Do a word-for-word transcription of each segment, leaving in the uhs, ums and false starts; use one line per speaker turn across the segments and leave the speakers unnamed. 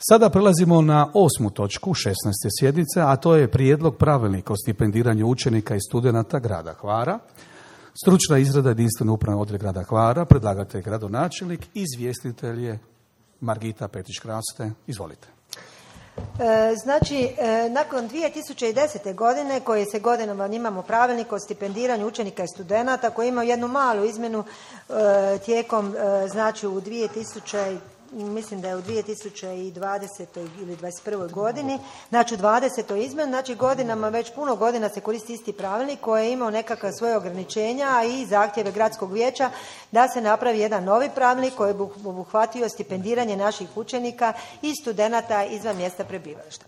Sada prelazimo na osmu točku šesnaeste sjednice, a to je prijedlog pravilnika o stipendiranju učenika i studenata grada Hvara. Stručna izrada jedinstvene upravne odjel grada Hvara, predlagatelj gradonačelnik, izvjestitelj je Margita Petić-Kraste. Izvolite.
E, znači, e, nakon dvije tisuće desete. godine, koje se godinama imamo pravilnik o stipendiranju učenika i studenata, koji ima jednu malu izmjenu e, tijekom, e, znači u dvije tisuće, mislim da je u dvije tisuće dvadesetoj ili dvadeset prvoj godini, znači u dvadesetoj izmjeni, znači godinama, već puno godina se koristi isti pravilnik koji je imao nekakva svoje ograničenja i zahtjeve gradskog vijeća da se napravi jedan novi pravilnik koji bi obuhvatio stipendiranje naših učenika i studenata izvan mjesta prebivališta.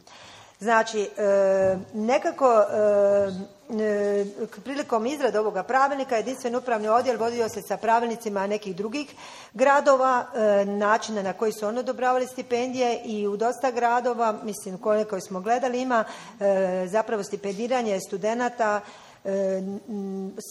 Znači, e, nekako e, e, prilikom izrade ovoga pravilnika jedinstveni upravni odjel vodio se sa pravilnicima nekih drugih gradova, e, načina na koji su oni odobravali stipendije i u dosta gradova, mislim koliko smo gledali, ima e, zapravo stipendiranje studenata, e,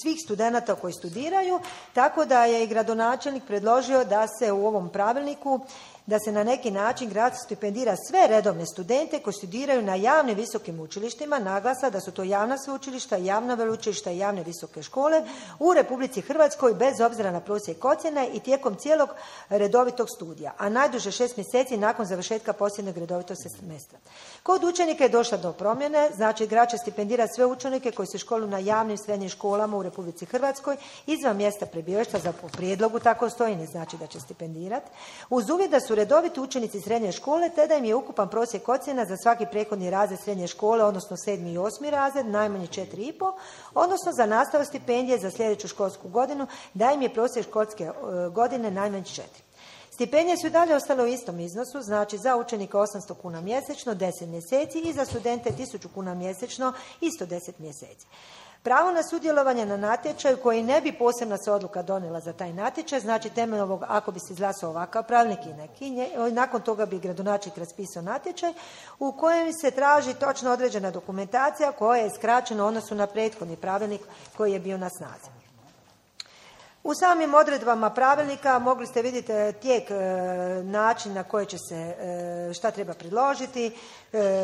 svih studenata koji studiraju, tako da je i gradonačelnik predložio da se u ovom pravilniku da se na neki način grad stipendira sve redovne studente koji studiraju na javnim visokim učilištima, naglasa da su to javna sveučilišta, javna veleučilišta i javne visoke škole u Republici Hrvatskoj bez obzira na prosjek ocjene i tijekom cijelog redovitog studija, a najduže šest mjeseci nakon završetka posljednjeg redovitog semestra. Kod učenika je došla do promjene, znači grad će stipendirati sve učenike koji se školuju na javnim srednjim školama u Republici Hrvatskoj izvan mjesta prebivališta, za po prijedlogu tako stoji, ne znači da će stipendirati, uz uvjet da su redoviti učenici srednje škole, te da im je ukupan prosjek ocjena za svaki prethodni razred srednje škole, odnosno sedmi i osmi razred, najmanje četiri i pol, odnosno za nastavu stipendije za sljedeću školsku godinu, da im je prosjek školske godine najmanje četiri. Stipendije su i dalje ostale u istom iznosu, znači za učenika osamsto kuna mjesečno, deset mjeseci i za studente tisuću kuna mjesečno, isto deset mjeseci. Pravo na sudjelovanje na natječaju koji ne bi posebna se odluka donijela za taj natječaj, znači temeljem ovog, ako bi se izglasao ovakav pravilnik i neki, nakon toga bi gradonačelnik raspisao natječaj u kojem se traži točno određena dokumentacija koja je skraćena u odnosu na prethodni pravilnik koji je bio na snazi. U samim odredbama pravilnika mogli ste vidjeti tijek, način na koji će se, šta treba predložiti,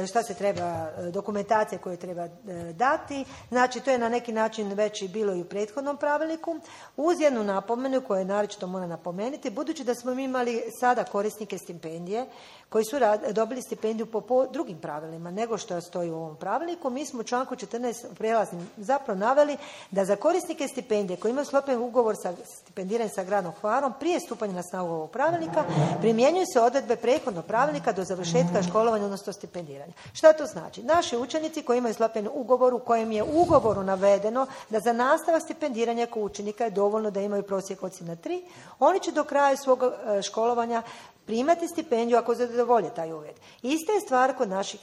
šta se treba, dokumentacije koje treba dati. Znači, to je na neki način već i bilo i u prethodnom pravilniku. Uz jednu napomenu koju naročito moram napomenuti, budući da smo mi imali sada korisnike stipendije koji su dobili stipendiju po, po drugim pravilima nego što stoji u ovom pravilniku, mi smo u članku četrnaest prijelaznim zapravo naveli da za korisnike stipendije koji imaju sklopljen ugovor sa stipendiranjem sa gradom Hvarom prije stupanja na snagu ovog pravilnika primjenjuju se odredbe prethodnog pravilnika do završetka školovanja, odnosno stipendiranja. Šta to znači? Naši učenici koji imaju sklopljen ugovor u kojem je u ugovoru navedeno da za nastavak stipendiranja kao učenika je dovoljno da imaju prosjek ocjena tri, oni će do kraja svog školovanja primati stipendiju ako zadovolje taj uvjet. Ista je stvar kod naših,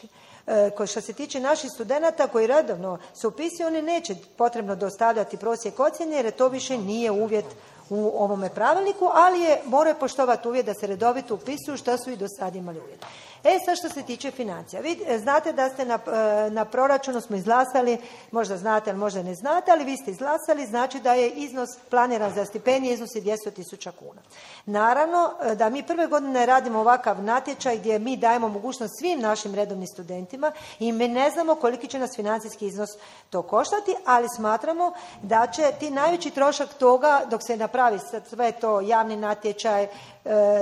ko što se tiče naših studenata koji redovno se upisuju, oni neće potrebno dostavljati prosjek ocjene jer to više nije uvjet u ovome pravilniku, ali je, moraju poštovati uvjet da se redovito upisuju što su i do sada imali uvjet. E sad što se tiče financija. Vi znate da ste na, na proračunu smo izglasali, možda znate, ali možda ne znate, ali vi ste izglasali, znači da je iznos planiran za stipendije iznosi dvjesto tisuća kuna. Naravno da mi prve godine radimo ovakav natječaj gdje mi dajemo mogućnost svim našim redovnim studentima i mi ne znamo koliki će nas financijski iznos to koštati, ali smatramo da će ti najveći trošak toga dok se napravi sve to javni natječaj,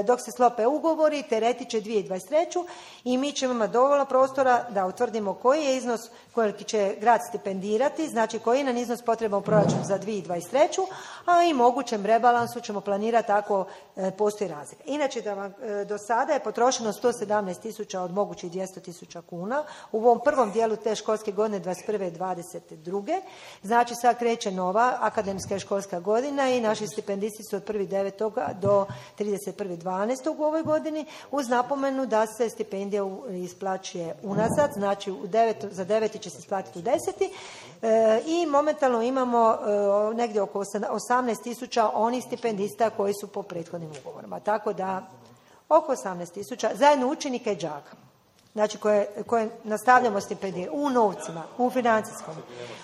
dok se sklope ugovori, tereti će dvije tisuće dvadeset treće. i mi ćemo imati dovoljno prostora da utvrdimo koji je iznos koliki će grad stipendirati, znači koji je nam iznos potreban u proračunu za dvije tisuće dvadeset treće. a i mogućem rebalansu ćemo planirati ako e, postoji razlika. Inače, da vam, e, do sada je potrošeno sto sedamnaest tisuća od mogućih dvjesto tisuća kuna u ovom prvom dijelu te školske godine dvadeset prve dvadeset druge. Znači sad kreće nova akademska školska godina i naši stipendisti su od prvog devetog do trideset prvog dvanaestog u ovoj godini, uz napomenu da se stipendija isplaćuje unazad, znači u devet, za deveti će se isplatiti u deseti e, i momentalno imamo e, negdje oko osamnaest tisuća onih stipendista koji su po prethodnim ugovorima. Tako da oko osamnaest tisuća zajedno učenika i đaka. Znači koje, koje nastavljamo stipendije u novcima, u financijskom.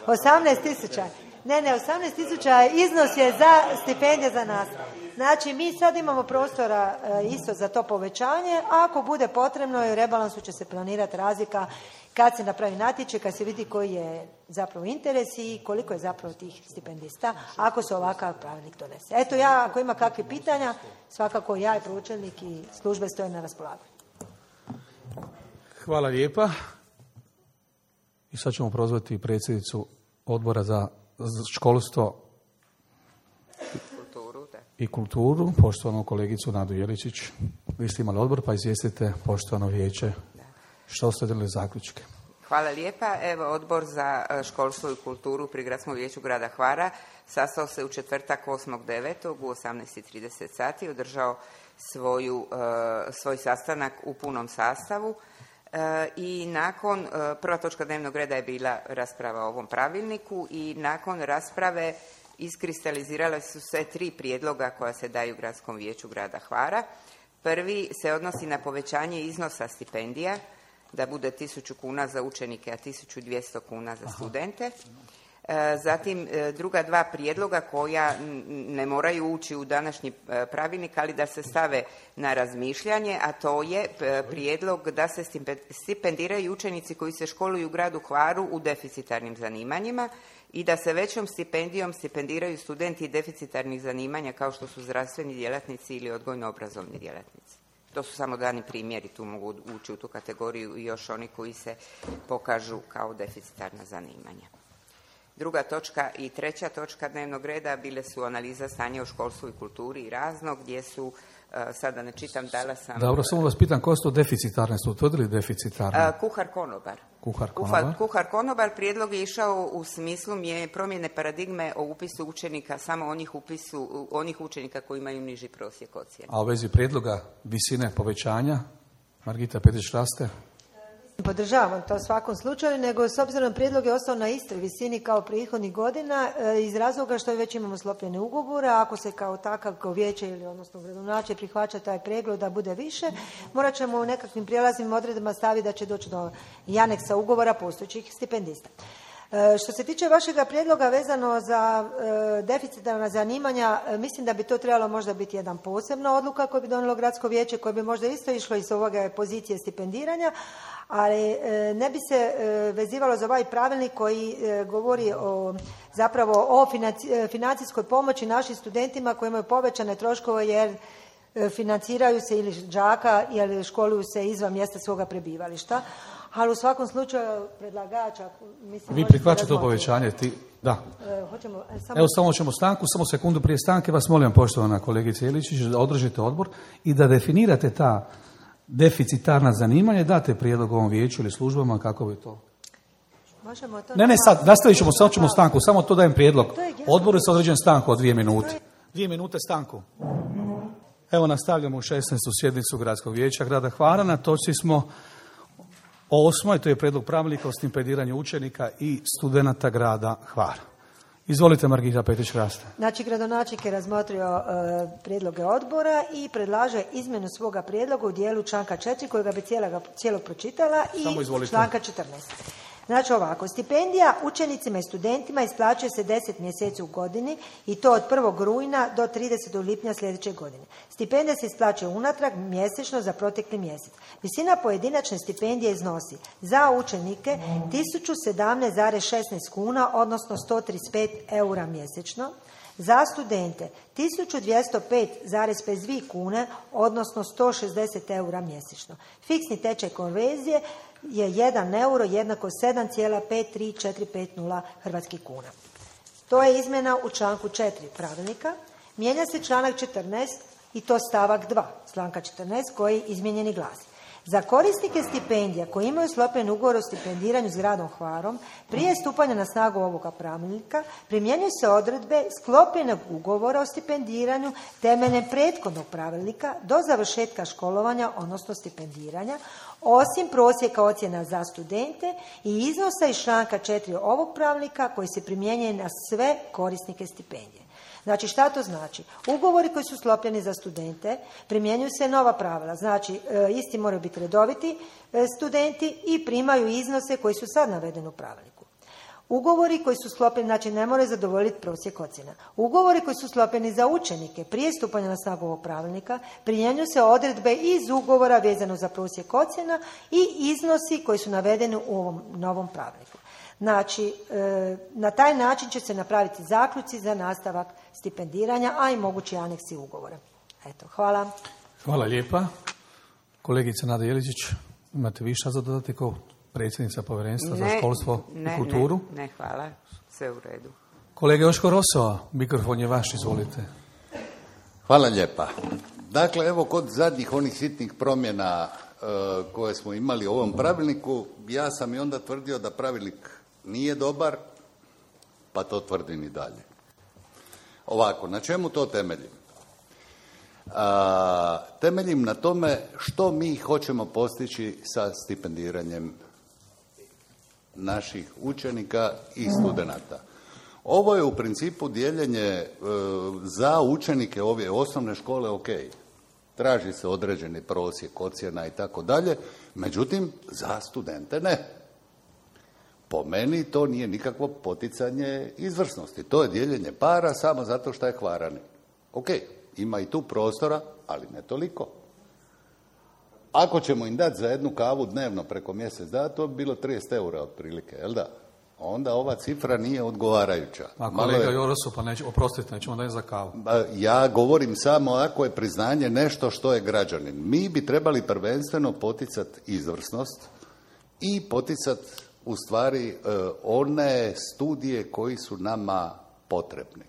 osamnaest tisuća. Ne, ne, osamnaest tisuća iznos je za stipendije za nastavu. Znači, mi sad imamo prostora e, isto za to povećanje, a ako bude potrebno i u rebalansu će se planirati razlika kad se napravi natječaj, kad se vidi koji je zapravo interes i koliko je zapravo tih stipendista, ako se ovakav pravilnik donese. Eto, ja, ako ima kakve pitanja, svakako ja i pročelnik i službe stoje na raspolaganju.
Hvala lijepa. I sad ćemo prozvati predsjednicu odbora za školstvo i kulturu, poštovanu kolegicu Nadu Jeličić. Vi ste imali odbor, pa izvijestite poštovano vijeće što ste donijeli zaključke.
Hvala lijepa. Evo, odbor za školstvo i kulturu pri Gradskom vijeću grada Hvara sastao se u četvrtak osmog devetog u osamnaest i trideset sati, održao svoju, svoj sastanak u punom sastavu. I nakon, prva točka dnevnog reda je bila rasprava o ovom pravilniku i nakon rasprave iskristalizirale su se tri prijedloga koja se daju Gradskom vijeću grada Hvara. Prvi se odnosi na povećanje iznosa stipendija, da bude tisuću kuna za učenike, a tisuću dvjesto kuna za studente. Zatim druga dva prijedloga koja ne moraju ući u današnji pravilnik, ali da se stave na razmišljanje, a to je prijedlog da se stipendiraju učenici koji se školuju u gradu Hvaru u deficitarnim zanimanjima i da se većom stipendijom stipendiraju studenti deficitarnih zanimanja kao što su zdravstveni djelatnici ili odgojno-obrazovni djelatnici. To su samo dani primjeri, tu mogu ući u tu kategoriju i još oni koji se pokažu kao deficitarna zanimanja. Druga točka i treća točka dnevnog reda bile su analiza stanja u školstvu i kulturi i razno, gdje su, sada ne čitam, dala sam...
Dobro, samo vas pitam, ko su to deficitarne? Su utvrdili deficitarne?
Kuhar konobar.
Kuhar konobar.
Kuhar konobar. Prijedlog je išao u smislu je promjene paradigme o upisu učenika, samo onih, upisu, onih učenika koji imaju niži prosjek ocjene.
A u vezi prijedloga visine povećanja, Margita Petić-Raste?
Podržavam to u svakom slučaju, nego s obzirom na prijedlog je ostao na istoj visini kao prethodnih godina iz razloga što već imamo sklopljene ugovore, a ako se kao takav kao vijeće ili odnosno gradonačelnik prihvaća taj pregled da bude više, morat ćemo u nekakvim prijelaznim odredbama staviti da će doći do i aneksa ugovora postojećih stipendista. Što se tiče vašeg prijedloga vezano za e, deficitarna zanimanja, e, mislim da bi to trebalo možda biti jedan posebna odluka koju bi donijelo gradsko vijeće, koje bi možda isto išlo iz ovoga pozicije stipendiranja, ali e, ne bi se e, vezivalo za ovaj pravilnik koji e, govori o zapravo o financi, financijskoj pomoći našim studentima koji imaju povećane troškove jer e, financiraju se ili đaka ili školuju se izvan mjesta svoga prebivališta. Ali u svakom slučaju predlagača... Mislim,
vi prihvaćate to povećanje? Ti... Da.
E, hoćemo, e, samo...
Evo samo ćemo stanku, samo sekundu prije stanke vas molim, poštovana kolegica Iličić, da održite odbor i da definirate ta deficitarna zanimanja, date prijedlog ovom vijeću ili službama kako bi to...
Možemo to...
Ne, ne, sad, nastavit ćemo, sad ćemo stanku, samo to dajem prijedlog. Odboru je određen stanku od dvije minute. Dvije minute stanku. Evo nastavljamo u šesnaestu sjednicu Gradskog vijeća grada Hvara. Na točci smo o osmoj, to je prijedlog pravilnika o stipendiranju učenika i studenata grada Hvara. Izvolite, Margita Petić-Raste.
Znači, gradonačelnik je razmotrio e, prijedloge odbora i predlaže izmjenu svoga prijedloga u dijelu članka četiri, kojega bi cijelog, cijelog pročitala, i članka četrnaest. Znači ovako, stipendija učenicima i studentima isplaćuje se deset mjeseci u godini i to od prvog rujna do tridesetog lipnja sljedeće godine. Stipendija se isplaćuje unatrag mjesečno za protekli mjesec. Visina pojedinačne stipendije iznosi za učenike tisuću sedamnaest zarez šesnaest kuna, odnosno sto trideset pet eura mjesečno. Za studente tisuću dvjesto pet zarez pedeset dvije kune, odnosno sto šezdeset eura mjesečno. Fiksni tečaj konverzije je jedan euro jednako sedam zarez pet tri četiri pet nula hrvatskih kuna. To je izmjena u članku četiri pravilnika. Mijenja se članak četrnaest i to stavak dva članka četrnaest koji izmijenjeni glasi. Za korisnike stipendija koji imaju sklopljen ugovor o stipendiranju s gradom Hvarom prije stupanja na snagu ovoga pravilnika primjenjuju se odredbe sklopljenog ugovora o stipendiranju temeljem prethodnog pravilnika do završetka školovanja, odnosno stipendiranja, osim prosjeka ocjena za studente i iznosa iz članka četiri ovog pravilnika koji se primjenjuje na sve korisnike stipendije. Znači, šta to znači? Ugovori koji su sklopljeni za studente primjenjuju se nova pravila. Znači, e, isti moraju biti redoviti e, studenti i primaju iznose koji su sad navedeni u pravilniku. Ugovori koji su sklopljeni, znači ne moraju zadovoljiti prosjek ocjena. Ugovori koji su sklopljeni za učenike prije stupanja na snagu ovog pravilnika primjenjuju se odredbe iz ugovora vezano za prosjek ocjena i iznosi koji su navedeni u ovom novom pravilniku. Znači, na taj način će se napraviti zaključci za nastavak stipendiranja, a i mogući aneksi ugovora. Eto, hvala.
Hvala lijepa. Kolegica Nada Jeličić, imate više za dodati kao predsjednica povjerenstva
ne,
za školstvo
ne,
i kulturu?
Ne, ne, hvala. Sve u redu.
Kolega Joško Roso, mikrofon je vaš, izvolite.
Hvala lijepa. Dakle, evo kod zadnjih onih sitnih promjena e, koje smo imali u ovom pravilniku, ja sam i onda tvrdio da pravilnik nije dobar, pa to tvrdim i dalje. Ovako, na čemu to temeljim? A, temeljim na tome što mi hoćemo postići sa stipendiranjem naših učenika i studenata. Ovo je u principu dijeljenje e, za učenike ove osnovne škole, ok. Traži se određeni prosjek ocjena i tako dalje, međutim, za studente ne. Po meni to nije nikakvo poticanje izvrsnosti. To je dijeljenje para samo zato što je Hvarani. Ok, ima i tu prostora, ali ne toliko. Ako ćemo im dati za jednu kavu dnevno preko mjesec dana, to bi bilo trideset eura otprilike, jel da? Onda ova cifra nije odgovarajuća.
A kolega je... Jorosu, pa neće, oprostite, nećemo dati za kavu.
Ja govorim samo ako je priznanje nešto što je građanin. Mi bi trebali prvenstveno poticati izvrsnost i poticati u stvari one studije koji su nama potrebni.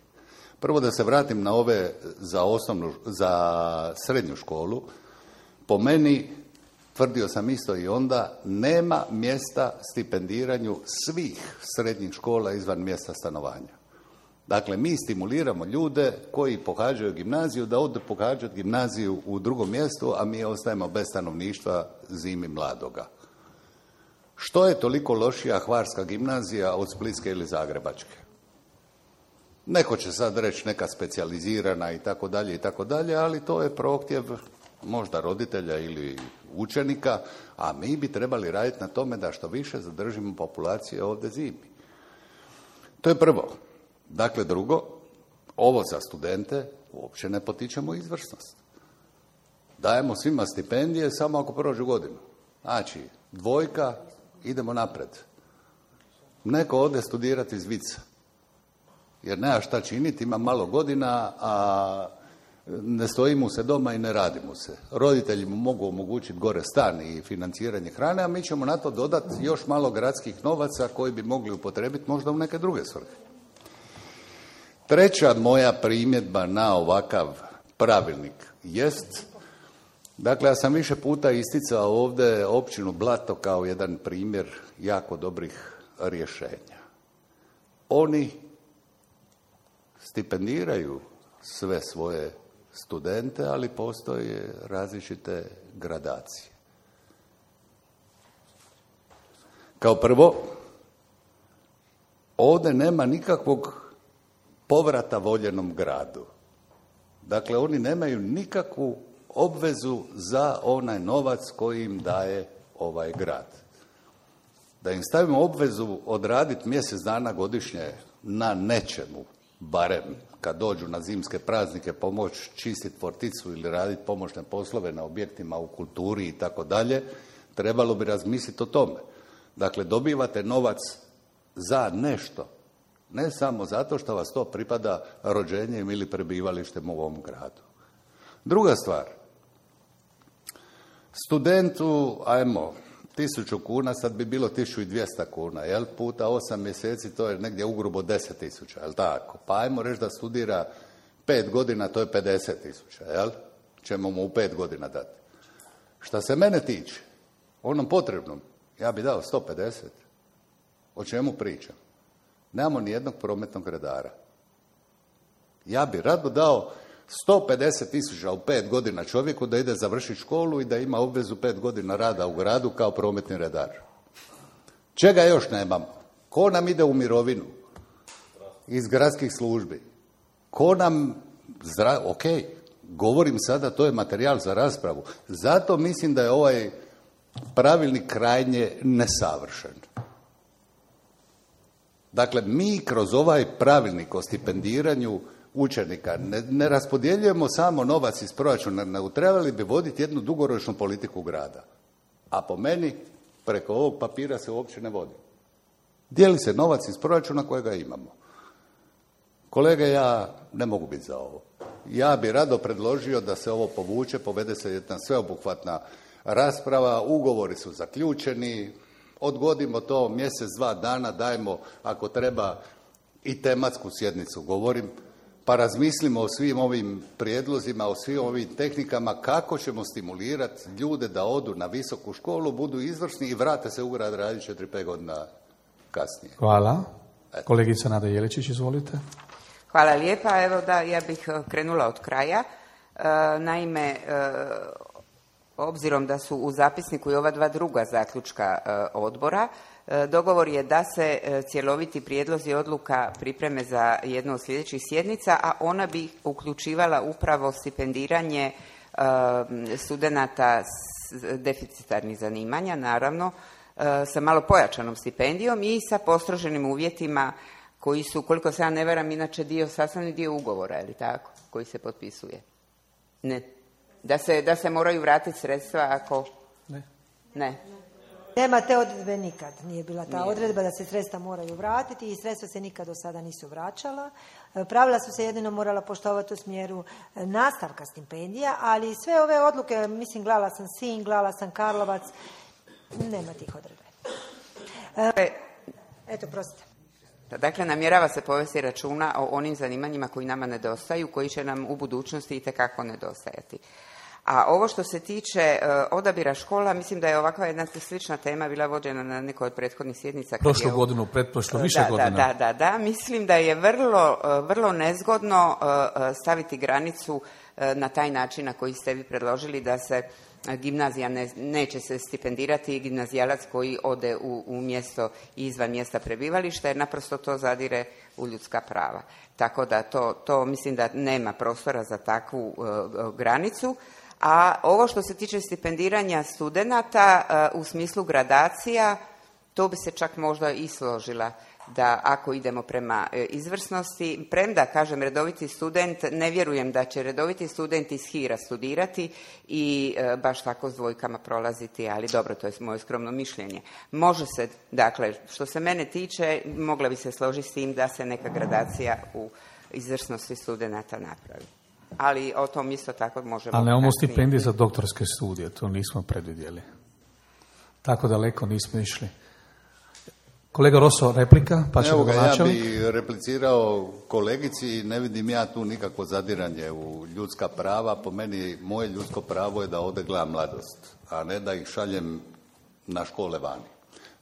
Prvo da se vratim na ove za osnovnu, za srednju školu. Po meni, tvrdio sam isto i onda, nema mjesta stipendiranju svih srednjih škola izvan mjesta stanovanja. Dakle, mi stimuliramo ljude koji pohađaju gimnaziju da odu pohađati gimnaziju u drugom mjestu, a mi ostajemo bez stanovništva zimi mladoga. Što je toliko lošija Hvarska gimnazija od Splitske ili Zagrebačke? Neko će sad reći neka specijalizirana i tako dalje i tako dalje, ali to je prohtjev možda roditelja ili učenika, a mi bi trebali raditi na tome da što više zadržimo populacije ovdje zimi. To je prvo. Dakle, drugo, ovo za studente uopće ne potičemo izvrsnost. Dajemo svima stipendije samo ako prođu godinu. Znači, dvojka, idemo napred. Neko ode studirati iz vica, jer nema šta činiti, ima malo godina, a ne stoji mu se doma i ne radi mu se. Roditelji mu mogu omogućiti gore stan i financiranje hrane, a mi ćemo na to dodati još malo gradskih novaca koji bi mogli upotrebiti možda u neke druge svrhe. Treća moja primjedba na ovakav pravilnik jest, dakle, ja sam više puta isticao ovdje općinu Blato kao jedan primjer jako dobrih rješenja. Oni stipendiraju sve svoje studente, ali postoje različite gradacije. Kao prvo, ovdje nema nikakvog povrata voljenom gradu. Dakle, oni nemaju nikakvu obvezu za onaj novac koji im daje ovaj grad. Da im stavimo obvezu odraditi mjesec dana godišnje na nečemu, barem kad dođu na zimske praznike pomoći čistiti forticu ili raditi pomoćne poslove na objektima u kulturi i tako dalje, trebalo bi razmisliti o tome. Dakle, dobivate novac za nešto, ne samo zato što vas to pripada rođenjem ili prebivalištem u ovom gradu. Druga stvar, studentu, ajmo, tisuću kuna, sad bi bilo tisuću i dvjesto kuna, jel? Puta osam mjeseci, to je negdje ugrubo deset tisuća, jel tako? Pa ajmo reći da studira pet godina, to je pedeset tisuća, jel? Ćemo mu u pet godina dati. Šta se mene tiče, onom potrebnom, ja bi dao sto pedeset. O čemu pričam? Nemamo ni jednog prometnog redara. Ja bi rado dao sto pedeset tisuća u pet godina čovjeku da ide završiti školu i da ima obvezu pet godina rada u gradu kao prometni redar. Čega još nemamo? Ko nam ide u mirovinu? Iz gradskih službi. Ko nam... Zdra... Ok, govorim sada, to je materijal za raspravu. Zato mislim da je ovaj pravilnik krajnje nesavršen. Dakle, mi kroz ovaj pravilnik o stipendiranju učenika ne, ne raspodjeljujemo samo novac iz proračuna, nego trebali bi voditi jednu dugoročnu politiku grada. A po meni, preko ovog papira se uopće ne vodi. Dijeli se novac iz proračuna kojega imamo. Kolege, ja ne mogu biti za ovo. Ja bi rado predložio da se ovo povuče, povede se jedna sveobuhvatna rasprava, ugovori su zaključeni, odgodimo to mjesec, dva dana, dajmo ako treba i tematsku sjednicu, govorim, pa razmislimo o svim ovim prijedlozima, o svim ovim tehnikama, kako ćemo stimulirati ljude da odu na visoku školu, budu izvrsni i vrate se u grad raditi četiri pet godina kasnije.
Hvala. Kolegica Nada Jeličić, izvolite.
Hvala lijepa. Evo da, ja bih krenula od kraja. E, naime, e, obzirom da su u zapisniku i ova dva druga zaključka e, odbora, e, dogovor je da se e, cjeloviti prijedlozi odluka pripreme za jednu od sljedećih sjednica, a ona bi uključivala upravo stipendiranje e, studenata s deficitarnih zanimanja, naravno, e, sa malo pojačanom stipendijom i sa postroženim uvjetima koji su, koliko se ja ne varam, inače dio, sastavni dio ugovora, je li tako, koji se potpisuje? Ne. Da se, da se moraju vratiti sredstva ako...
Ne.
Ne.
Nema te odredbe nikad. Nije bila ta
Nije.
odredba da se sredstva moraju vratiti i sredstva se nikad do sada nisu vraćala. Pravila su se jedino morala poštovati u smjeru nastavka stipendija, ali sve ove odluke, mislim, gledala sam Sinj, gledala sam Karlovac, nema tih odredbe. E, eto, prostite.
Dakle, namjerava se povesti računa o onim zanimanjima koji nama nedostaju, koji će nam u budućnosti itekako nedostajati. A ovo što se tiče uh, odabira škola, mislim da je ovakva jedna slična tema bila vođena na nekoj od prethodnih sjednica.
Prošlu
je,
godinu, pretprošlu, više
da,
godina.
Da, da, da, da. Mislim da je vrlo, uh, vrlo nezgodno uh, staviti granicu uh, na taj način na koji ste vi predložili da se gimnazija ne, neće se stipendirati gimnazijalac koji ode u, u mjesto izvan mjesta prebivališta, jer naprosto to zadire u ljudska prava. Tako da to, to mislim da nema prostora za takvu uh, granicu. A ovo što se tiče stipendiranja studenata uh, u smislu gradacija, to bi se čak možda i složila da ako idemo prema e, izvrsnosti, premda, kažem, redoviti student, ne vjerujem da će redoviti student iz Hira studirati i e, baš tako s dvojkama prolaziti, ali dobro, to je moje skromno mišljenje. Može se, dakle, što se mene tiče, mogla bi se složiti s tim da se neka gradacija u izvrsnosti studenata napravi. Ali o tom isto tako možemo...
Ali nemamo stipendije za doktorske studije, to nismo predvidjeli. Tako daleko nismo išli. Kolega Roso, replika, pa ćemo ga načelnik.
Ja bih replicirao kolegici, ne vidim ja tu nikakvo zadiranje u ljudska prava. Po meni, moje ljudsko pravo je da ovdje gledam mladost, a ne da ih šaljem na škole vani.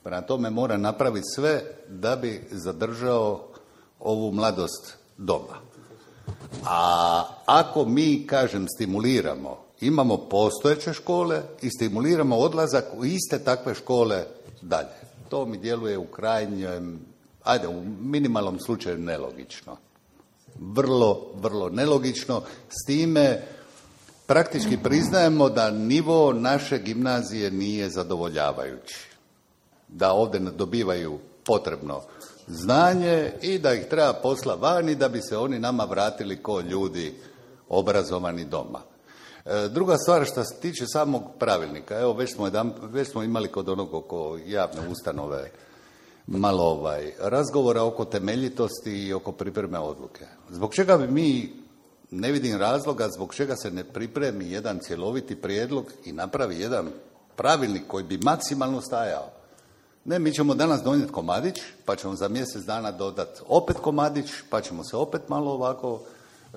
Prema tome mora napraviti sve da bi zadržao ovu mladost doma. A ako mi, kažem, stimuliramo, imamo postojeće škole i stimuliramo odlazak u iste takve škole dalje. To mi djeluje u krajnjem, ajde, u minimalnom slučaju nelogično. Vrlo, vrlo nelogično. S time praktički priznajemo da nivo naše gimnazije nije zadovoljavajući. Da ovdje ne dobivaju potrebno znanje i da ih treba posla vani da bi se oni nama vratili ko ljudi obrazovani doma. Druga stvar što se tiče samog pravilnika, evo već smo, jedan, već smo imali kod onog oko javne ustanove malo ovaj, razgovora oko temeljitosti i oko pripreme odluke. Zbog čega bi mi, ne vidim razloga, zbog čega se ne pripremi jedan cjeloviti prijedlog i napravi jedan pravilnik koji bi maksimalno stajao. Ne, mi ćemo danas donijeti komadić, pa ćemo za mjesec dana dodati opet komadić, pa ćemo se opet malo ovako e,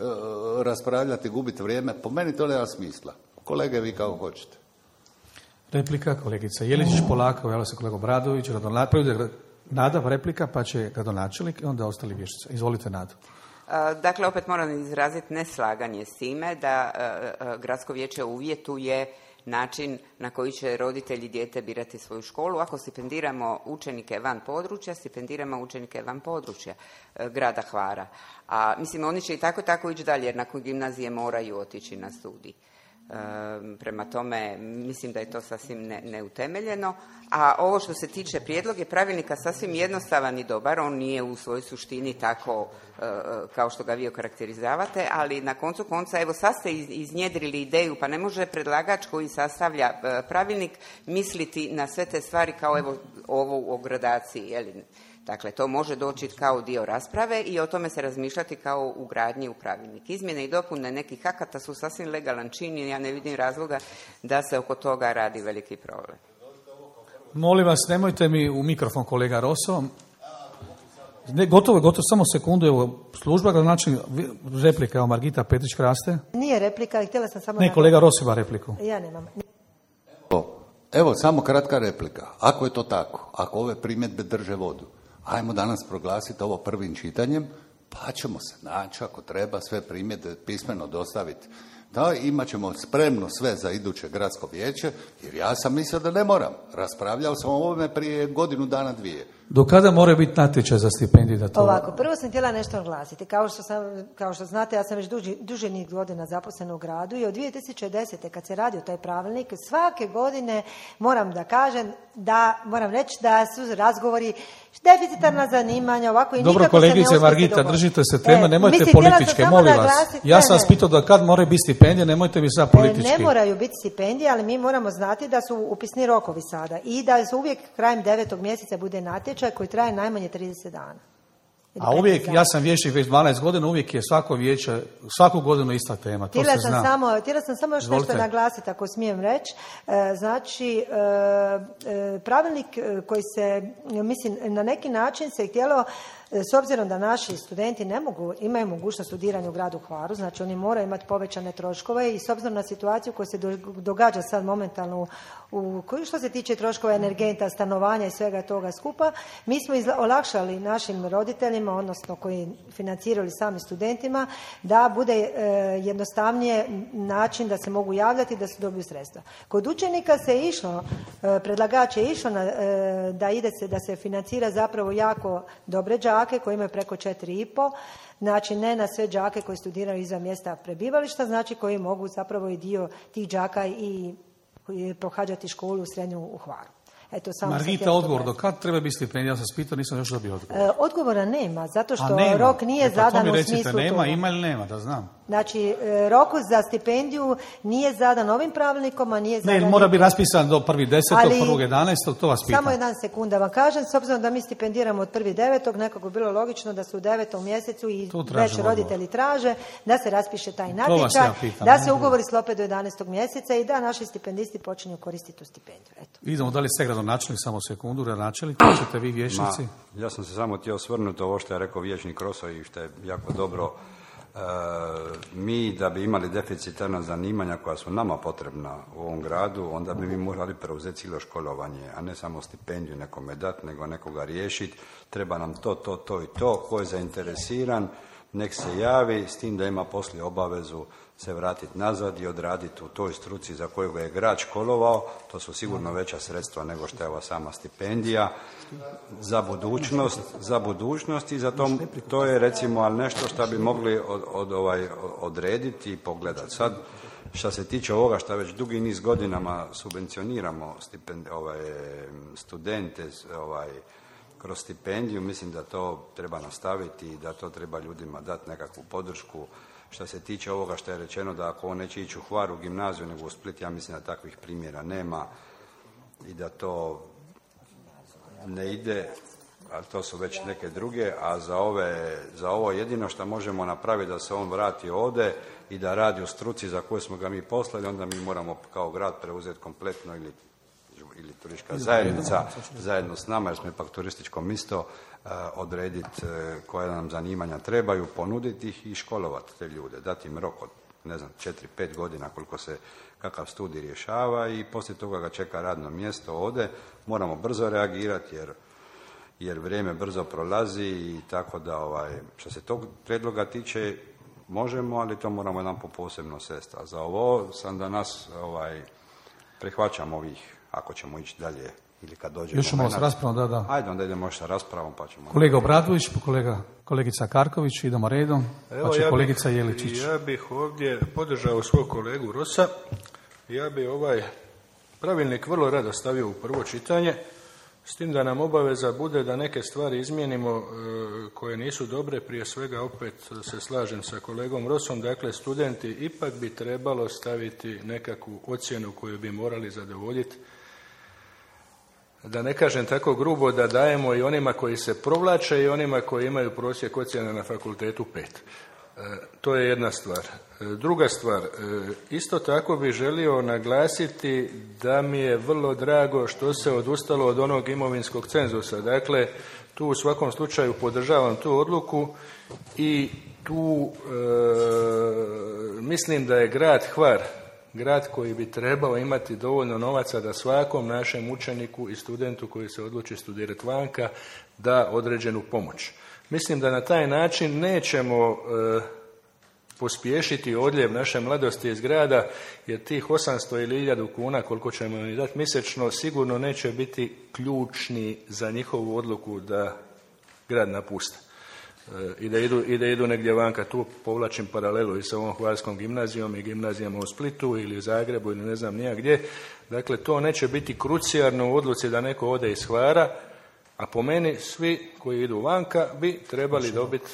raspravljati, gubiti vrijeme. Po meni to nema smisla. Kolege, vi kako hoćete.
Replika, kolegica Jeličić, polako, javlja se kolega Bradović, Nada, replika, pa će gradonačelnik i onda ostali vještice. Izvolite, Nadu.
Dakle, opet moram izraziti neslaganje s time da uh, gradsko vijeće uvjetuje način na koji će roditelji dijete birati svoju školu. Ako stipendiramo učenike van područja, stipendiramo učenike van područja uh, grada Hvara. A mislim, oni će i tako tako ići dalje, jer nakon gimnazije moraju otići na studij. Uh, Prema tome, mislim da je to sasvim ne, neutemeljeno. A ovo što se tiče prijedlog je pravilnika sasvim jednostavan i dobar, on nije u svojoj suštini tako kao što ga vi okarakterizavate, ali na koncu konca, evo sad ste iznjedrili ideju, pa ne može predlagač koji sastavlja pravilnik misliti na sve te stvari kao evo ovo o gradaciji, jeli? Dakle, to može doći kao dio rasprave i o tome se razmišljati kao ugradnji u pravilnik. Izmjene i dopune nekih akata su sasvim legalan čin i ja ne vidim razloga da se oko toga radi veliki problem.
Molim vas, nemojte mi u mikrofon, kolega Roso. Ne, gotovo, gotovo, samo sekundu, evo, služba, znači, replika, evo, Margita Petrić-Kraste.
Nije replika, htjela sam samo...
Ne, kolega Roso ima repliku.
Ja nemam.
Evo, evo, samo kratka replika. Ako je to tako, ako ove primjedbe drže vodu, ajmo danas proglasiti ovo prvim čitanjem, pa ćemo se naći, ako treba, sve primjedbe pismeno dostaviti. Da, imat ćemo spremno sve za iduće gradsko vijeće, jer ja sam mislio da ne moram. Raspravljao sam o ovome prije godinu dana, dvije.
Do kada mora biti natječaj za stipendije? Da to...
Ovako, prvo sam htjela nešto naglasiti. Kao što, sam, kao što znate, ja sam već duži, duže niz godina zaposlena u gradu i od dvije tisuće desete. kad se radio taj pravilnik, svake godine moram da kažem da, moram reći da su razgovori deficitarna zanimanja, ovako i
Dobro,
nikako se ne
kolegice
uspije
Margita,
dogovoriti.
držite se teme,
E,
nemojte
mislim,
političke, molim vas.
Naglasiti,
Ja
ne,
sam vas
ne.
pitao da kad moraju biti stipendije, nemojte mi sad politički.
Ne moraju biti stipendije, ali mi moramo znati da su upisni rokovi sada i da se uvijek krajem devetog mjeseca bude natječaj koji traje najmanje trideset dana.
A uvijek, ja sam vijećnik već dvanaest godina, uvijek je svako vijeće, svaku godinu ista tema, to
Htjela
se
sam
zna.
samo, htjela sam samo još
Izvolite.
nešto naglasiti, ako smijem reći. E, znači, e, e, pravilnik koji se, mislim, na neki način se htjelo, s obzirom da naši studenti ne mogu, imaju mogućnost studiranja u gradu Hvaru, znači oni moraju imati povećane troškove i s obzirom na situaciju koja se događa sad momentalno u, u što se tiče troškova energenta, stanovanja i svega toga skupa, mi smo izla, olakšali našim roditeljima, odnosno koji financirali sami studentima, da bude e, jednostavnije način da se mogu javljati da se dobiju sredstva. Kod učenika se išlo, e, predlagač je išao na, e, da ide se, da se financira zapravo jako dobre đake koji imaju preko četiri i po, znači ne na sve đake koji studiraju izvan mjesta prebivališta, znači koji mogu zapravo i dio tih đaka i pohađati školu srednju u Hvaru. Eto, samo
Margita, odgovor, do kad treba biti stipendija? Ja sam spitao, nisam još dobio odgovor.
E, odgovora nema, zato što
nema.
rok nije
e, pa
zadan
to mi
u
recite,
smislu
nema,
toga.
ima ili nema, da znam.
Znači, e, rok za stipendiju nije zadan ovim pravilnikom, a nije zadan...
Ne, mora biti raspisan do prvi desetog,
Ali-
prvog jedanaestog, to vas pitam.
Samo jedan sekund da vam kažem, s obzirom da mi stipendiramo od prvi devetog, nekako bi bilo logično da su u devetom mjesecu i
Tu
već
tražimo
roditelji traže da se raspiše taj
vas
natječaj,
ja pitam,
da
ne?
se ugovori sklope do jedanaestog mjeseca i da naši stipendisti počinju koristiti tu stipendiju. Eto.
Idemo dalje s gradonačelnik, samo sekundu, gradonačelnik, to ćete vi vječnici.
Ma, ja sam se samo htio osvrnuti ovo što je rekao vijećnik Roso i što je jako dobro. E, mi da bi imali deficitarna zanimanja koja su nama potrebna u ovom gradu, onda bi mi morali preuzeti cijelo školovanje, a ne samo stipendiju nekome dati, nego nekoga riješiti. Treba nam to, to, to i to. Ko je zainteresiran, nek se javi, s tim da ima poslije obavezu se vratiti nazad i odraditi u toj struci za koju ga je grad školovao. To su sigurno veća sredstva nego što je ova sama stipendija za budućnost, za budućnost i za to, to je recimo ali nešto što bi mogli od, od, ovaj, odrediti i pogledati. Sad, što se tiče ovoga što već dugi niz godinama subvencioniramo stipend, ovaj, studente ovaj, kroz stipendiju, mislim da to treba nastaviti i da to treba ljudima dati nekakvu podršku. Što se tiče ovoga što je rečeno da ako on neće ići u Hvar u gimnaziju nego u Split, ja mislim da takvih primjera nema i da to ne ide, ali to su već neke druge, a za, ove, za ovo jedino što možemo napraviti da se on vrati ovdje i da radi u struci za koju smo ga mi poslali, onda mi moramo kao grad preuzeti kompletno ili ili turistička zajednica zajedno s nama, jer smo ipak turističko mjesto, odrediti koja nam zanimanja trebaju, ponuditi ih i školovati te ljude, dati im rok od, ne znam, četiri pet godina koliko se kakav studij rješava i poslije toga ga čeka radno mjesto ovdje. Moramo brzo reagirati jer, jer vrijeme brzo prolazi i tako da, ovaj, što se tog prijedloga tiče, možemo, ali to moramo jedan po posebno sest. A za ovo sam danas ovaj, prihvaćam ovih ako ćemo ići dalje ili kad dođe
Još malo s
moment.
raspravom, da, da.
Ajde, onda idemo sa raspravom pa ćemo...
Kolega Obradović, kolega, kolegica Karković, idemo redom,
Evo,
pa će
ja
kolegica
bih,
Jeličić.
Ja bih ovdje podržao svog kolegu Rosa. Ja bih ovaj pravilnik vrlo rado stavio u prvo čitanje, s tim da nam obaveza bude da neke stvari izmijenimo e, koje nisu dobre. Prije svega opet se slažem sa kolegom Rosom, dakle studenti ipak bi trebalo staviti nekakvu ocjenu koju bi morali zadovoljiti. Da ne kažem tako grubo, da dajemo i onima koji se provlače i onima koji imaju prosjek ocjena na fakultetu pet. E, to je jedna stvar. E, druga stvar, e, isto tako bih želio naglasiti da mi je vrlo drago što se odustalo od onog imovinskog cenzusa. Dakle, tu u svakom slučaju podržavam tu odluku i tu e, mislim da je grad Hvar grad koji bi trebao imati dovoljno novaca da svakom našem učeniku i studentu koji se odluči studirati vanka da određenu pomoć. Mislim da na taj način nećemo e, pospješiti odljev naše mladosti iz grada, jer tih osamsto ili hiljadu kuna koliko ćemo im dati mjesečno sigurno neće biti ključni za njihovu odluku da grad napuste. I da, idu, i da idu negdje vanka. Tu povlačim paralelu i sa ovom Hvarskom gimnazijom i gimnazijama u Splitu ili u Zagrebu ili ne znam nija gdje. Dakle, to neće biti krucijarno u odluci da neko ode iz Hvara, a po meni svi koji idu vanka bi trebali dobiti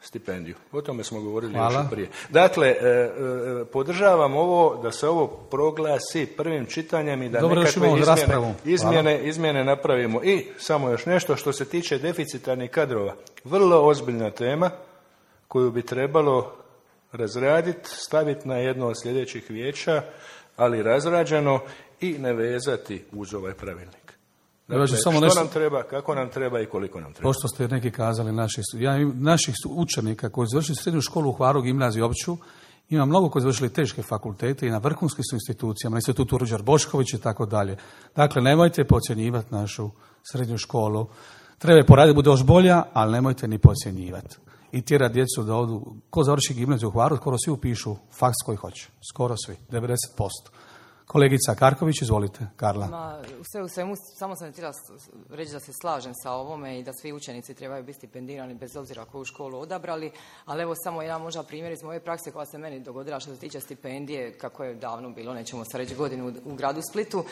stipendiju. O tome smo govorili
Hvala.
još prije. Dakle, e, e, podržavam ovo da se ovo proglasi prvim čitanjem i da
Dobro,
nekakve izmjene, izmjene,
Hvala.
izmjene napravimo. I samo još nešto što se tiče deficitarnih kadrova. Vrlo ozbiljna tema koju bi trebalo razraditi, staviti na jedno od sljedećih vijeća, ali razrađeno i ne vezati uz ovaj pravilnik. Dakle,
samo
što
nešto-
nam treba, kako nam treba i koliko nam treba.
Pošto ste neki kazali naših, ja, im- naših su- učenika koji su završili srednju školu u Hvaru, gimnaziju opću, ima mnogo koji su završili teške fakultete i na vrhunskim su institucijama, na institutu Ruđer Bošković i tako dalje. Dakle, nemojte podcjenjivati našu srednju školu. Treba je poraditi, bude još bolja, ali nemojte ni podcjenjivati. I tjera djecu da odu, ko završi gimnaziju u Hvaru, skoro svi upišu faks koji hoće. Skoro svi, devedeset posto. Kolegica Karković, izvolite, Karla.
Ma, sve u svemu, samo sam htjela s- reći da se slažem sa ovome i da svi učenici trebaju biti stipendirani bez obzira koju školu odabrali, ali evo samo jedan možda primjer iz moje prakse koja se meni dogodila što se tiče stipendije, kako je davno bilo, nećemo sad reći godinu u, u gradu Splitu.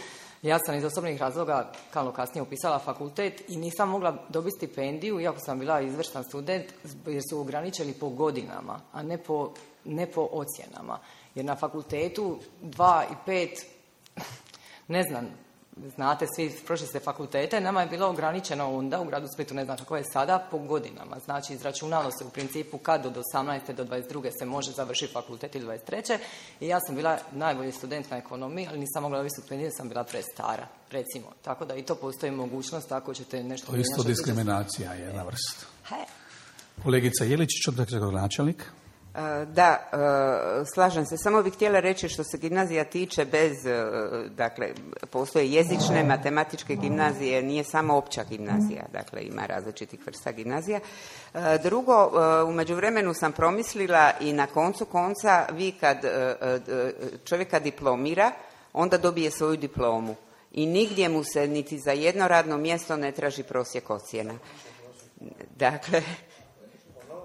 Ja sam iz osobnih razloga kalno kasnije upisala fakultet i nisam mogla dobiti stipendiju, iako sam bila izvrstan student, jer su ograničili po godinama, a ne po, ne po ocjenama. Jer na fakultetu dva i pet, ne znam, znate, svi prošli ste fakultete, nama je bilo ograničeno onda u gradu Splitu, ne znam kako je sada, po godinama. Znači, izračunalo se u principu kad od osamnaeste do dvadeset druge se može završiti fakultet ili dvadeset treće I ja sam bila najbolji student na ekonomiji, ali nisam mogla dobiti stipendiju, sam bila prestara, recimo. Tako da i to postoji mogućnost, ako ćete nešto...
To je isto
mijenjati.
diskriminacija, jedna vrsta.
He.
Kolegica Jeličić, odakle načelnik.
E, Da, e, slažem se. Samo bih htjela reći što se gimnazija tiče bez, e, dakle, postoje jezične, matematičke gimnazije, nije samo opća gimnazija, dakle ima različitih vrsta gimnazija. E, Drugo, e, u međuvremenu sam promislila i na koncu konca vi kad e, e, čovjeka diplomira, onda dobije svoju diplomu i nigdje mu se niti za jedno radno mjesto ne traži prosjek ocjena. Dakle,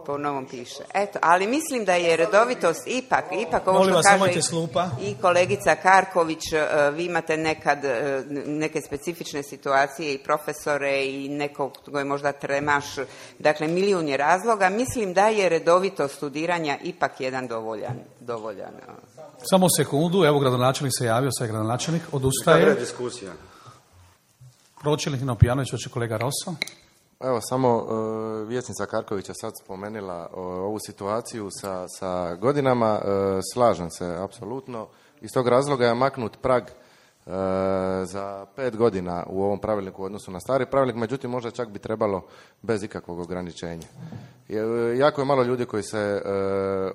po novom piše. Eto, ali mislim da je redovitost ipak, ipak ovo
Molim
što
vas,
kaže
nemojte slupa.
i kolegica Karković, e, vi imate nekad e, neke specifične situacije i profesore i nekog tko je možda tremaš, dakle milijun je razloga. Mislim da je redovitost studiranja ipak jedan dovoljan, dovoljan. e,
Samo sekundu, evo gradonačelnik se javio, sad je gradonačelnik,
Dobra
odustaje.
diskusija.
Pročelnik Nino Pijanović, hoće kolega Rosso.
Evo, samo uh, vijećnica Karkovića sad spomenula uh, ovu situaciju sa, sa godinama. Uh, slažem se, apsolutno. Iz tog razloga je maknut prag uh, za pet godina u ovom pravilniku u odnosu na stari pravilnik, međutim možda čak bi trebalo bez ikakvog ograničenja. Je, uh, jako je malo ljudi koji se uh,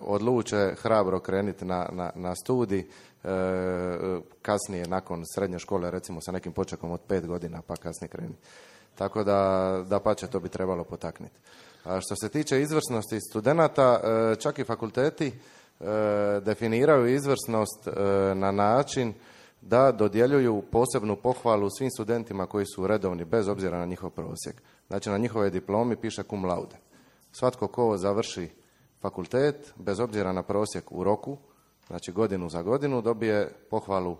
odluče hrabro krenuti na, na, na studij, uh, kasnije nakon srednje škole, recimo sa nekim počekom od pet godina, pa kasnije krenuti. Tako da, da pače, to bi trebalo potaknuti. A što se tiče izvrsnosti studenata, čak i fakulteti definiraju izvrsnost na način da dodjeljuju posebnu pohvalu svim studentima koji su redovni, bez obzira na njihov prosjek. Znači, na njihove diplomi piše cum laude. Svatko ko završi fakultet, bez obzira na prosjek u roku, znači godinu za godinu, dobije pohvalu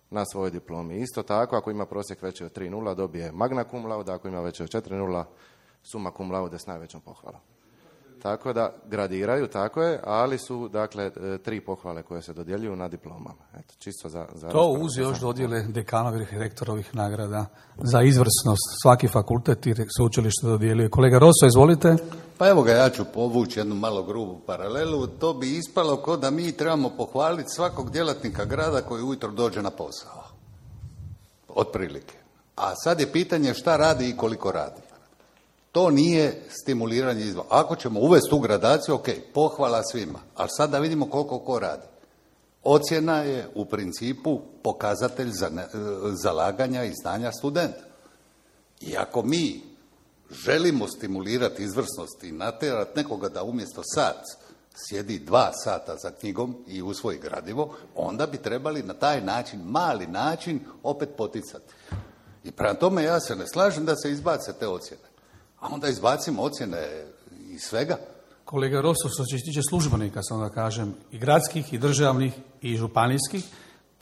na svojoj diplomi. Isto tako, ako ima prosjek veći od tri nula, dobije magna cum laude, ako ima veći od četiri nula, suma cum laude s najvećom pohvalom. Tako da gradiraju, tako je, ali su, dakle, tri pohvale koje se dodjeljuju na diplomama. Eto, čisto za, za
to uz još dodjele dekanovih i rektorovih nagrada za izvrsnost. Svaki fakultet i sveučilište dodjeljuje. Kolega Roso, izvolite.
Pa evo ga, ja ću povući jednu malo grubu paralelu. To bi ispalo kao da mi trebamo pohvaliti svakog djelatnika grada koji ujutro dođe na posao. Otprilike. A sad je pitanje šta radi i koliko radi. To nije stimuliranje izbora. Ako ćemo uvesti tu gradaciju, ok, pohvala svima. Ali sad da vidimo koliko ko radi. Ocjena je u principu pokazatelj za ne, zalaganja i znanja studenta. I ako mi želimo stimulirati izvrsnost i natjerati nekoga da umjesto sat sjedi dva sata za knjigom i usvoji gradivo, onda bi trebali na taj način, mali način, opet poticati. I prema tome ja se ne slažem da se izbace te ocjene. A onda izbacimo ocjene iz svega.
Kolega Rosso, što se tiče službenika, sam da kažem, i gradskih, i državnih, i županijskih,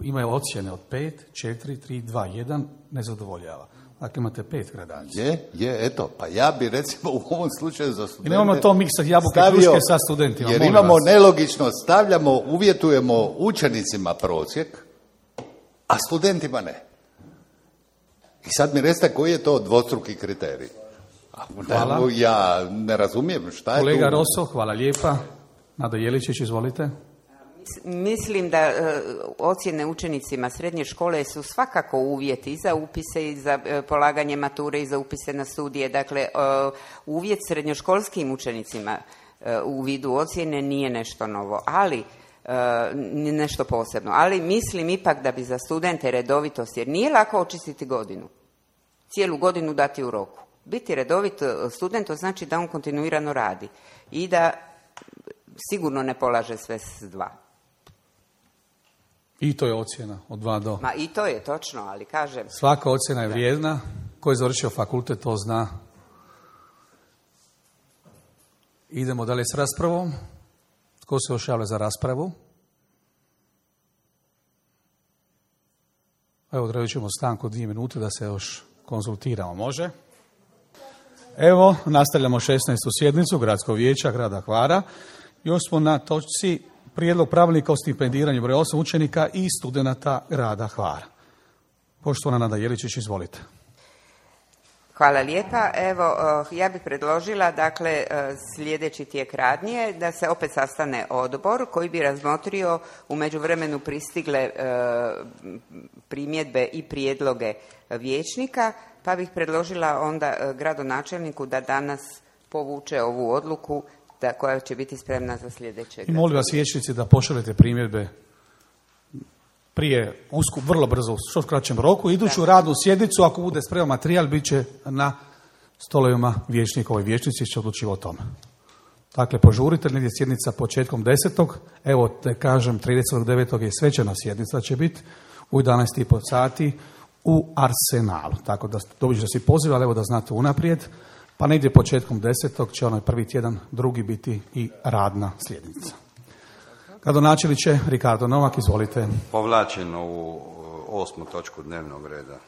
imaju ocjene od pet, četiri, tri, dva, jedan, ne zadovoljava. Dakle, imate pet gradacija.
Je, je, eto, pa ja bi recimo u ovom slučaju za studente...
I nemamo to miksati jabuke i kruške sa studentima.
Jer imamo nelogičnost, stavljamo, uvjetujemo učenicima prosjek, a studentima ne. I sad mi recite koji je to dvostruki kriterij.
Hvala.
Ja ne razumijem šta je
Kolega
tu.
Kolega Rosso, hvala lijepa. Nada Jeličić, izvolite.
Mislim da uh, ocjene učenicima srednje škole su svakako uvjeti i za upise i za uh, polaganje mature i za upise na studije. Dakle, uh, uvjet srednjoškolskim učenicima uh, u vidu ocjene nije nešto novo, ali uh, nešto posebno. Ali mislim ipak da bi za studente redovitost, jer nije lako očistiti godinu, cijelu godinu dati u roku. Biti redovit student, to znači da on kontinuirano radi i da sigurno ne polaže sve s dva.
I to je ocjena od dva do...
Ma i to je točno, ali kažem...
Svaka ocjena je vrijedna. Ko je završio fakultet, to zna. Idemo dalje s raspravom. Tko se još javlja za raspravu? Evo, odredit ćemo stanku dvije minute da se još konzultiramo. Može? Evo, nastavljamo šesnaestu sjednicu Gradskog vijeća grada Hvara. Još smo na točci prijedlog pravilnika o stipendiranju broj osam učenika i studenata grada Hvara. Poštovana Nada Jeličić, izvolite.
Hvala lijepa. Evo, ja bih predložila, dakle, sljedeći tijek radnje, da se opet sastane odbor koji bi razmotrio u međuvremenu pristigle primjedbe i prijedloge vijećnika, pa bih predložila onda gradonačelniku da danas povuče ovu odluku da, koja će biti spremna za sljedeće.
I molim vas vijećnici da pošaljete primjedbe prije usku, vrlo brzo, u što kraćem roku. Iduću da. radnu sjednicu, ako bude spreman materijal, bit će na stolovima vijećnika. Ovoj vijećnici će odlučivati o tome. Dakle, požurite, negdje sjednica početkom desetog. Evo, te kažem, tridesetog devetog je svečana sjednica, će biti u jedanaest i pol sati u Arsenalu. Tako da dobit ćete si poziv, ali evo da znate unaprijed. Pa negdje početkom desetog će onaj prvi tjedan, drugi biti i radna sjednica. Gradonačelniče Ricardo Novak, izvolite.
Povlačim ovu osmu točku dnevnog reda.